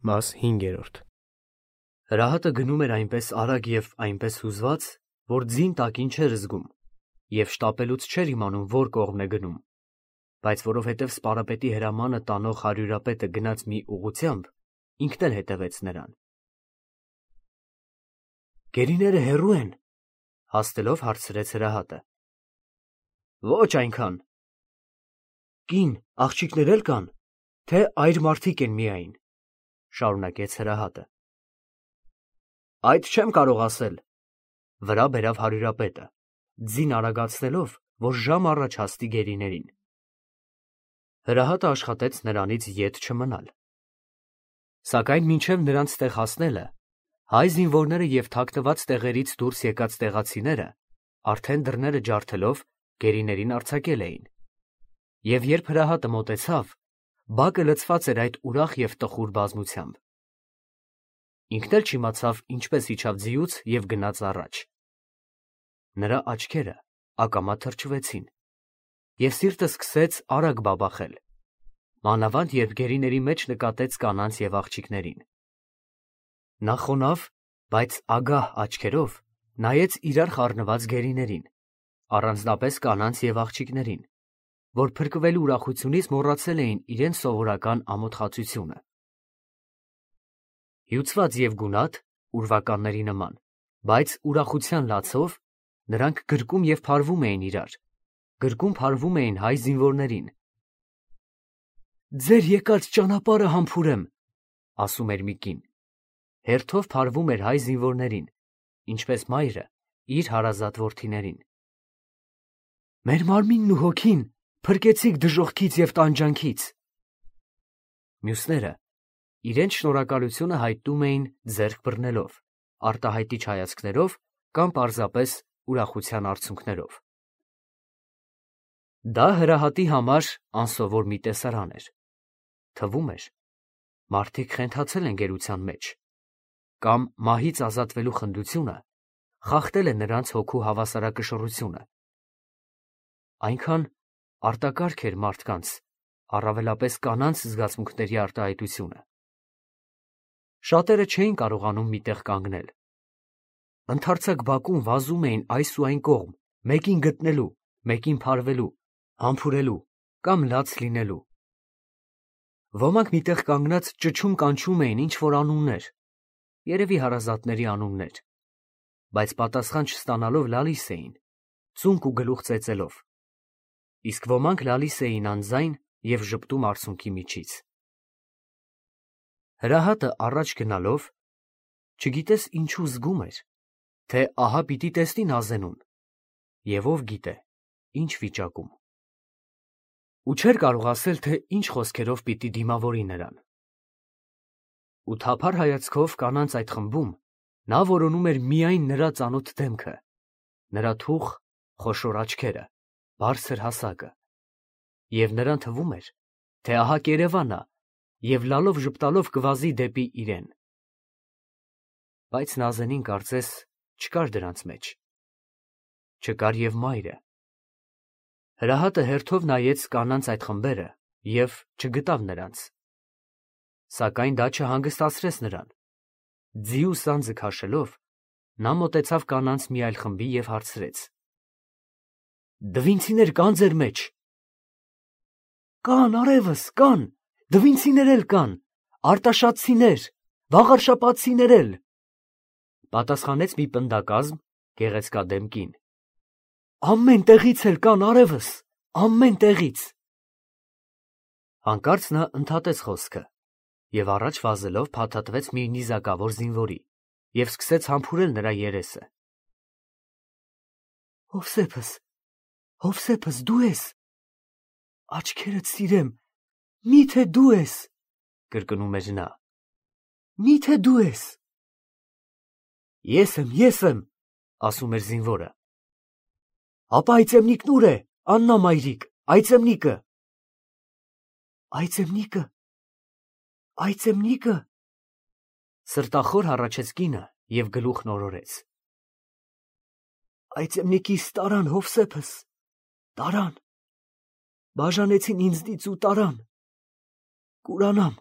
Մաս 5. Հրահատը գնում էր այնպես արագ և այնպես հուզված, որ ձին տակին չէր զգում և շտապելուց չէր իմանում որ կողմն է գնում, բայց որովհետև սպարապետի հրամանը տանող հարյուրապետը գնաց մի ուղղությամբ, ինքն էլ հետևեց նրան։ Գերիները հեռու են, հաստելով հարցրեց հրահատը։ Ոչ այնքան։ Կին, աղջիկներ էլ կան, թե այր մարդիկ են միայն, շարունակեց հրահատը։ Այդ չեմ կարող ասել, վրա բերավ հարյուրապետը, ձին արագացնելով, որ ժամ առաջ հասնի գերիներին։ Հրահատը աշխատեց նրանից ետ չմնալ։ Սակայն մինչև նրանց տեղ հասնելը, հայ զինվորները և թաքնված տեղերից դուրս եկած տեղացիները արդեն դռները ջարդելով գերիներին արձակել էին։ Եվ երբ հրահատը մոտեցավ, բակը լցված էր այդ ուրախ և տխուր բազմությամբ։ Ինքն էլ չիմացավ ինչպես իջավ ձիուց և գնաց առաջ։ Նրա աչքերը ակամա թրջվեցին, և սիրտը սկսեց արագ բաբախել, մանավանդ երբ գերիների մեջ նկատեց կանանց և աղջիկներին։ Նա խոնավ, բայց ագահ աչքերով նայեց իրար խառնված գերիներին, առանձնապես կանանց և աղջիկներին, որ փրկվելու ուրախությունից մոռացել էին իրենց սովորական ամոթխածությունը։ Հյուծված և գունատ, ուրվականների նման, բայց ուրախության լացով, նրանք գրկում և փարվում էին իրար, գրկում փարվում էին հայ զինվորներին։ Ձեր եկած ճանապարհը համբուրեմ, ասում էր մի կին, հերթով փարվում էր հայ զինվորներին, ինչպես մայրը իր հարազատ որդիներին։ Մեր մարմինն ու հոգին փրկեցիք դժոխքից և տանջանքից։ Մյուսները իրենց շնորհակալությունը հայտնում էին ձեռք բռնելով, արտահայտիչ հայացքներով կամ պարզապես ուրախության արցունքներով։ Դա հրահատի համար անսովոր մի տեսարան էր։ Թվում էր, մարդիկ խենթացել են գերության մեջ, կամ մահից ազատվելու խնդությունը խախտել է նրանց հոգու հավասարակշռությունը։ Այնքան արտակարգ էր մարդկանց, առավելապես կանանց զգացմունքների արտահայտությունը։ Շատերը չէին կարողանում մի տեղ կանգնել։ Ընդարձակ բակում վազում էին այս ու այն կողմ, մեկին գտնելու, մեկին փարվելու, համբուրելու կամ լաց լինելու։ Ոմանք մի տեղ կանգնած ճչում-կանչում էին ինչ-որ անուններ, երևի հարազատների անուններ, բայց պատասխան չստանալով լալիս էին, ծունկ ու գլուխ ծեծելով, իսկ ոմանք լալիս էին անձայն և ժպտում արցունքի միջից։ Հրահատը առաջ գնալով, չգիտես ինչու զգում էր, թե ահա պիտի տեսնի Նազենուն, և ով գիտե, ինչ վիճակում։ Ու չէր կարող ասել, թե ինչ խոսքերով պիտի դիմավորի նրան։ Ու թափառ հայացքով կանանց այդ խմբում նա որոնում էր միայն նրա ծանոթ դեմքը, նրա թուխ, խոշոր աչքերը, բարձր հասակը, և նրան թվում էր, թե ահա կերևա նա և լալով ժպտալով կվազի դեպի իրեն։ Բայց Նազենին կարծես չկար դրանց մեջ։ Չկար և մայրը։ Հրահատը հերթով նայեց կանանց այդ խմբերը և չգտավ նրանց։ Սակայն դա չհանգստացրեց նրան։ Ձիու սանձը քաշելով, նա մոտեցավ կանանց մի այլ խմբի և հարցրեց. Դվինցիներ կա՞ն ձեր մեջ։ Կան, արևս, կան, դվինցիներ էլ կան, արտաշատցիներ, վաղարշապատցիներ էլ, պատասխանեց մի պնդակազմ, գեղեցկադեմ կին։ Ամեն տեղից էլ կան, արևս, ամեն տեղից։ Հանկարծ նա ընդհատեց խոսքը և առաջ վազելով փաթաթվեց մի նիզակավոր զինվորի և սկսեց համբուրել նրա երեսը։ Հովսեփս, դու ես։ Աչքերդ սիրեմ, միթե դու ես, կրկնում էր նա։ Միթե դու ես։ Ես եմ, ասում էր զինվորը։ Ապա այծեմնիկն ուր է, Աննա մայրիկ, այծեմնիկը։ Այծեմնիկը, սրտախոր հառաչեց կինը և գլուխն օրորեց։ Այծեմնիկիս տարան, Հովսեփս, տարան, բաժանեցին ինձնից ու տարան, կուրանամ,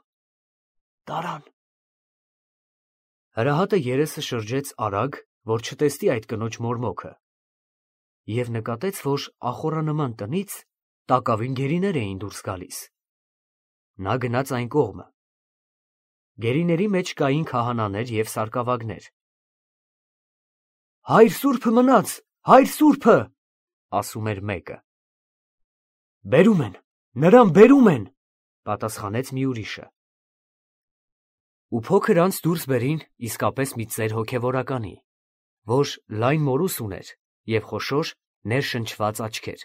տարան։ Հրահատը երեսը շրջեց արագ, որ չտեսնի այդ կնոջ մորմոքը, և նկատեց, որ ախորանման տնից տակավին գերիներ էին դուրս գալիս։ Նա գնաց այն կողմը։ Գերիների մեջ կային քահանաներ և սարկավագներ։ «Հայր սուրբը մնաց, հայր սուրբը», ասում էր մեկը։ «Բերում են, նրան բերում են», պատասխանեց մի ուրիշը։ Ու փոքր անց դուրս բերին իսկապես մի ծեր հոգևորականի, որ լայն մորուս ուներ և խոշոր ներշնչված աչքեր։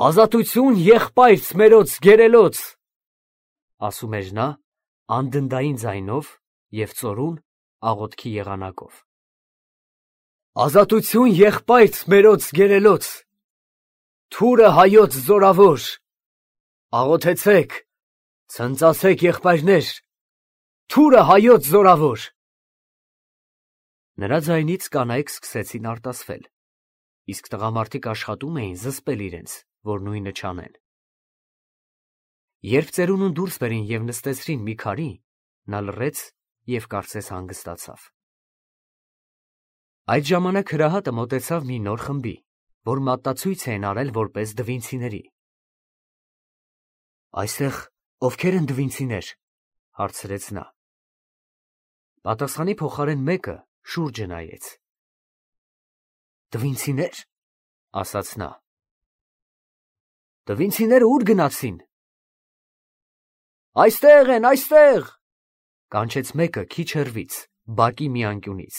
«Ազատություն եղբայրց մերոց գերելոց», ասում էր նա անդնդային ձայնով և ծորուն աղոթքի եղանակով։ «Ազատություն եղբայրց մերոց գերելոց, թուրը հայոց զորավոր, աղոթեցեք, ցնծացեք եղբայրներ, թուրը հայոց զորավոր»։ Նրա ձայնից կանայք սկսեցին արտասվել, իսկ տղամարդիկ աշխատում էին զսպել իրենց, որ նույնը չանեն։ Երբ ծերունուն դուրս բերին և նստեցրին մի քարի, նա լռեց և կարծես հանգստացավ։ Այդ ժամանակ հրահատը մոտեցավ մի նոր խմբի, որ մատնացույց էին արել որպես դվինցիների։ «Այստեղ ովքեր են դվինցիներ», հարցրեց նա։ Պատասխանի փոխարեն մեկը շուրջը նայեց։ «Դվինցիներ», ասաց նա։ «Դվինցիները ո՞ւր գնացին»։ «Այստեղ են, այստեղ», կանչեց մեկը քիչ հեռվից, բակի մի անկյունից։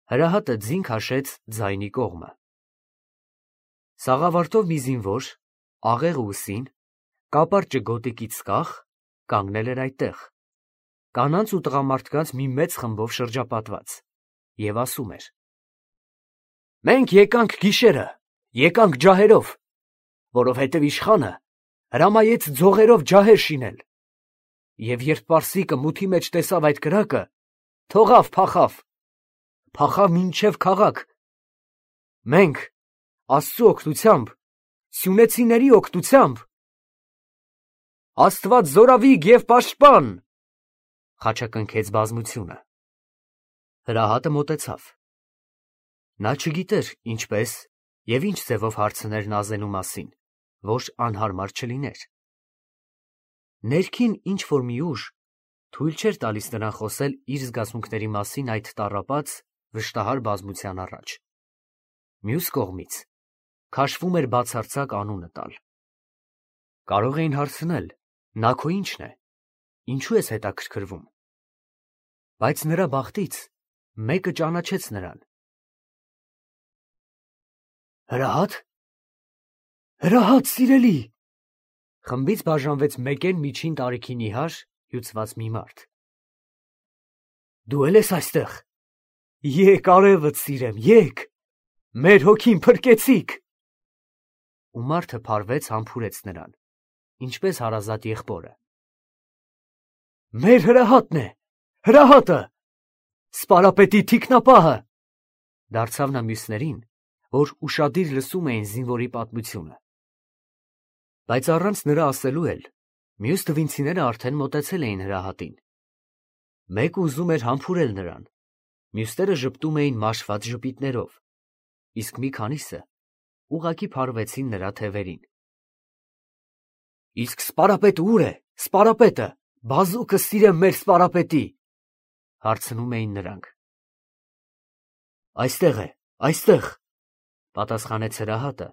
Հրահատը ձին քաշեց ձայնի կողմը։ Սաղավարտով մի զինվոր, աղեղ ուսին, կապար ճգոտիկից կախ, կանգնել էր այդտեղ, կանանց ու տղամարդկանց մի մեծ խմբով շրջապատված, և ասում էր. «Մենք եկանք գիշերը, եկանք ջահերով, որովհետև իշխանը հրամայեց ձողերով ջահեր շինել, և երբ պարսիկը մութի մեջ տեսավ այդ կրակը, թողավ, փախավ մինչև քաղաք։ Մենք Աստծու օգնությամբ, սյունեցիների օգնությամբ, Աստված զորավիգ և պաշտպան, խաչակնքեց բազմությունը»։ Հրահատը մոտեցավ։ Նա չգիտեր ինչպես և ինչ ձևով հարցներ նազենու մասին, որ անհարմար չլիներ։ Ներքին ինչ-որ մի ուժ թույլ չէր տալիս նրան խոսել իր զգացմունքների մասին այդ տառապած, վշտահար բազմության առաջ։ Մյուս կողմից քաշվում էր բացարձակ անունը տալ։ Կարող էին հարցնել. «Նա քո ի՞նչն է, ինչու ես հետաքրքրվում»։ Բայց նրա բախտից մեկը ճանաչեց նրան։ «Հրահա՞տ, հրահա՞տ, սիրելի», խմբից բաժանվեց մեկեն միջին տարիքի նիհար, հյուծված մի մարդ։ «Դու էլ ես այստեղ, եկ արևդ սիրեմ, եկ, մեր հոգին փրկեցիք»։ Ու մարդը փարվեց համբուրեց նրան, ինչպես հարազատ եղբորը։ «Մեր հրահատն է, հրահատը, սպարապետի թիկնապահը», դարձավ նա մյուսներին, որ ուշադիր լսում էին զինվորի պատմությունը։ Բայց առանց նրա ասելու էլ, մյուս դվինցիները արդեն մոտեցել էին հրահատին։ Մեկը ուզում էր համբուրել նրան, մյուսները ժպտում էին մաշված ժպիտներով, իսկ մի քանիսը ուղղակի փարվեցին նրա թևերին։ «Իսկ սպարապետը ո՞ւր է, սպարապետը, բազուկը սիրեմ մեր սպարապետի», հարցնում էին նրանք։ «Այստեղ է, այստեղ», պատասխանեց հրահատը,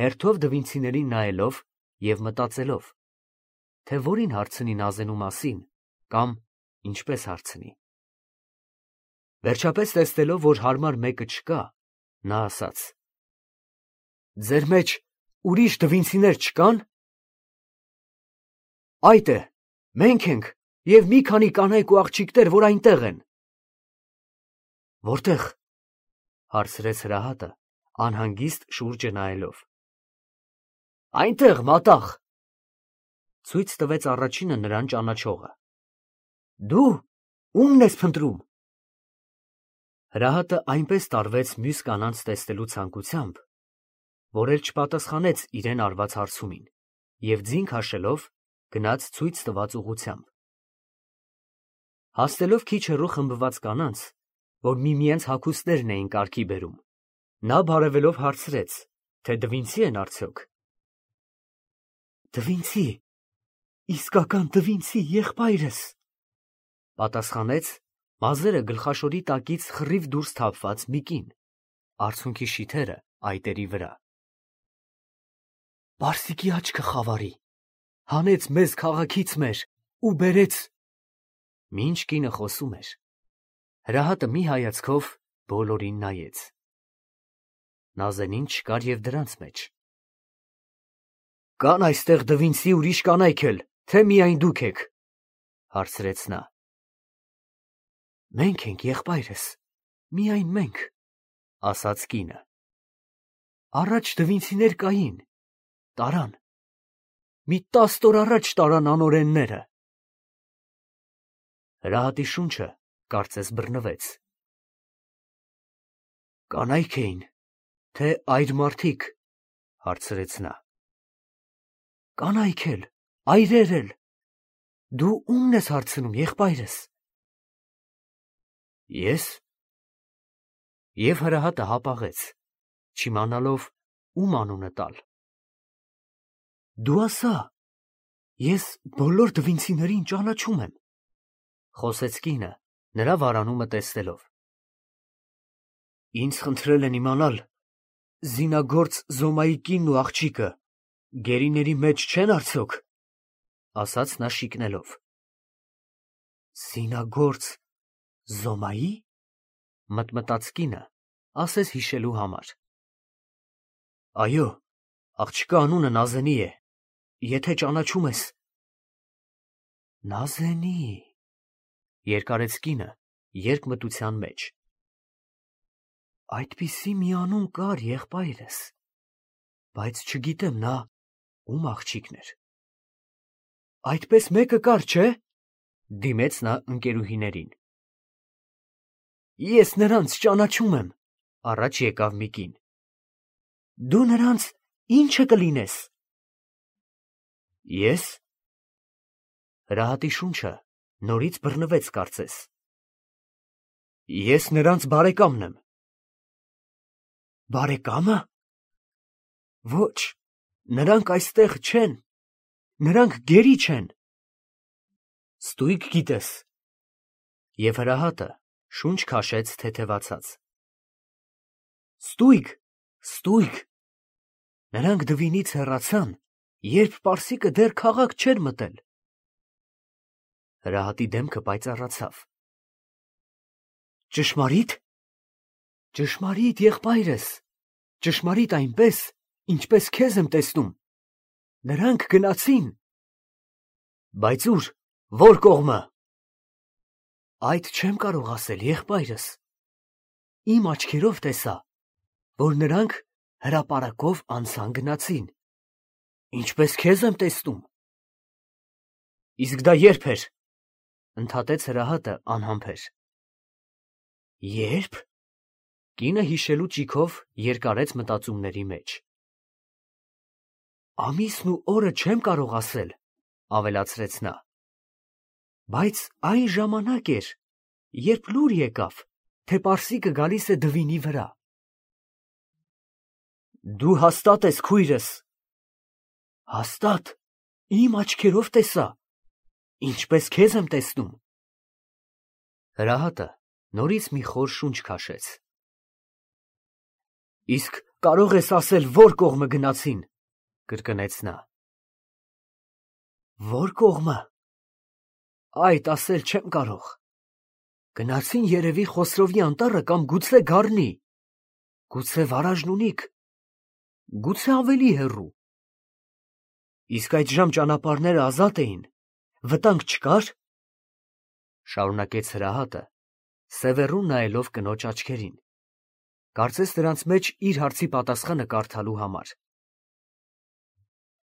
հերթով դվինցիներին նայելով և մտածելով, թե որին հարցնի նազենու մասին կամ ինչպես հարցնի։ Վերջապես տեսնելով, որ հարմար մեկը չկա, նա ասաց. «Ձեր մեջ ուրիշ դվինցիներ չկա՞ն»։ «Այդ է, մենք ենք և մի քանի կանայք ու աղջիկներ, որ այնտեղ են»։ «Որտե՞ղ», հարցրեց հրահատը, անհանգիստ շուրջը նայելով։ «Այնտեղ, մատաղ», ցույց տվեց առաջինը նրան ճանաչողը։ «Դու ո՞ւմն ես փնտրում»։ Հրահատը այնպես տարվեց մյուս կանանց տեսնելու ցանկությամբ, որ էլ չպատասխանեց իրեն արված հարցումին և ձին քաշելով գնաց ցույց տված ուղղությամբ։ Հասնելով քիչ հեռու խմբված կանանց, որ միմյանց հագուստներն էին կարգի բերում, նա բարևելով հարցրեց, թե Դվինցի են արդյոք։ Դվինցի, իսկական Դվինցի եղբայրս, պատասխանեց մազերը գլխաշորի տակից խռիվ դուրս թափված մի կին, արցունքի շիթերը այտերի վրա։ Պարսիկի աչքը խավարի, հանեց մեզ քաղաքից մեր ու բերեց։ Մինչ կինը խոսում էր, Հրահատը մի հայացքով բոլորին նայեց։ Նազենին չկար և դրանց մեջ։ Կան այստեղ Դվինցի ուրիշ կանայք էլ, թե միայն դուք եք, հարցրեց նա։ Մենք ենք, եղբայրս, միայն մենք, ասաց կինը։ Առաջ Դվինցիներ կային, տարան, մի 10 օր առաջ տարան անօրենները։ Հրահատի շունչը կարծես բռնվեց։ Կանայք էին, թե այր մարդիկ, հարցրեց նա։ Կանայք էլ, այրեր էլ, դու ումն ես հարցնում, եղբայրս։ Ես։ Եվ հրահատը հապաղեց, չիմանալով ում անունը տալ։ Դու ասա, ես բոլոր Դվինցիներին ճանաչում եմ, խոսեց կինը, նրա վարանումը տեսնելով։ Ինձ խնդրել են իմանալ, զինագործ Զոմայի կինն ու աղջիկը գերիների մեջ չեն արդյոք, ասաց նա շիկնելով։ Զինագործ Զոմայի, մտմտաց կինը, ասես հիշելու համար։ Այո, աղջկա անունը Նազենի է, եթե ճանաչում ես։ Նազենի, երկարեց կինը, երկմտության մեջ։ Այդպիսի մի անուն կար, եղբայրս, բայց չգիտեմ նա ում աղջիկն էր։ Այդպես մեկը կար, չէ՞, դիմեց նա ընկերուհիներին։ Ես նրանց ճանաչում եմ, առաջ եկավ մի կին։ Դու նրանց ի՞նչը կլինես։ Ես։ Հրահատի շունչը նորից բռնվեց կարծես։ Ես նրանց բարեկամն եմ։ Բարեկամը։ Ոչ, նրանք այստեղ չեն, նրանք գերի չեն։ Ստույգ գիտես։ Եվ հրահատը շունչ քաշեց թեթևացած։ Ստույգ, ստույգ։ Նրանք Դվինից հեռացան, երբ Պարսիկը դեռ քաղաք չէր մտել։ Հրահատի դեմքը պայծառացավ։ Ճշմարի՞տ։ Ճշմարիտ, եղբայրս, ճշմարիտ այնպես, ինչպես քեզ եմ տեսնում։ Նրանք գնացին։ Բայց ուր, որ կողմը։ Այդ չեմ կարող ասել, եղբայրս։ Իմ աչքերով տեսա, որ նրանք հրապարակով անցան գնացին, ինչպես քեզ եմ տեսնում։ Իսկ դա երբ էր, ընդհատեց հրահատը անհամբեր։ Երբ։ Կինը հիշելու ճիգով երկարեց մտածումների մեջ։ Ամիսն ու օրը չեմ կարող ասել, ավելացրեց նա։ Բայց այն ժամանակ էր, երբ լուր եկավ, թե Պարսիկը գալիս է Դվինի վրա։ Դու հաստատ ես քույրս։ Հաստատ, իմ աչքերով տեսա, ինչպես քեզ եմ տեսնում։ Հրահատը նորից մի խոր շունչ քաշեց։ Իսկ կարող ես ասել, որ կողմը գնացին, կրկնեց նա։ Որ կողմը։ Այդ ասել չեմ կարող։ Գնացին երևի Խոսրովի անտառը կամ գուցե Գառնի, գուցե Վարաժնունիք, գուցե ավելի հեռու։ Իսկ այդժամ ճանապարհները ազատ էին, վտանգ չկար, շարունակեց հրահատը, սևեռուն նայելով կնոջ աչքերին, կարծես նրանց մեջ իր հարցի պատասխանը կարդալու համար։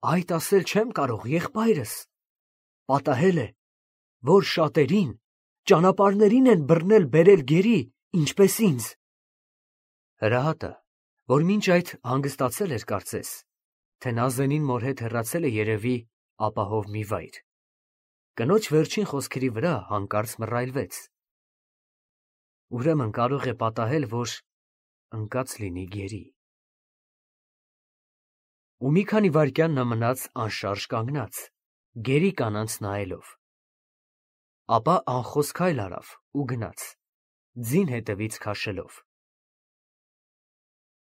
Այդ ասել չեմ կարող, եղբայրս, պատահել է, որ շատերին, ճանապարհներին են բռնել բերել գերի, ինչպես ինձ։ Հրահատը, որ մինչ այդ հանգստացել էր կարծես, թե Նազենին մոր հետ հեռացել է երևի ապահով մի վայր, Կնոջ վերջին խոսքերի վրա հանկարծ մռայլվեց։ Ուրեմն կարող է պատահել, որ ընկած լինի գերի։ Ու մի քանի վայրկյան նա մնաց անշարժ կանգնած, գերի կանանց նայելով։ Ապա անխոս քայլ արավ ու գնաց, ձին հետևից քաշելով։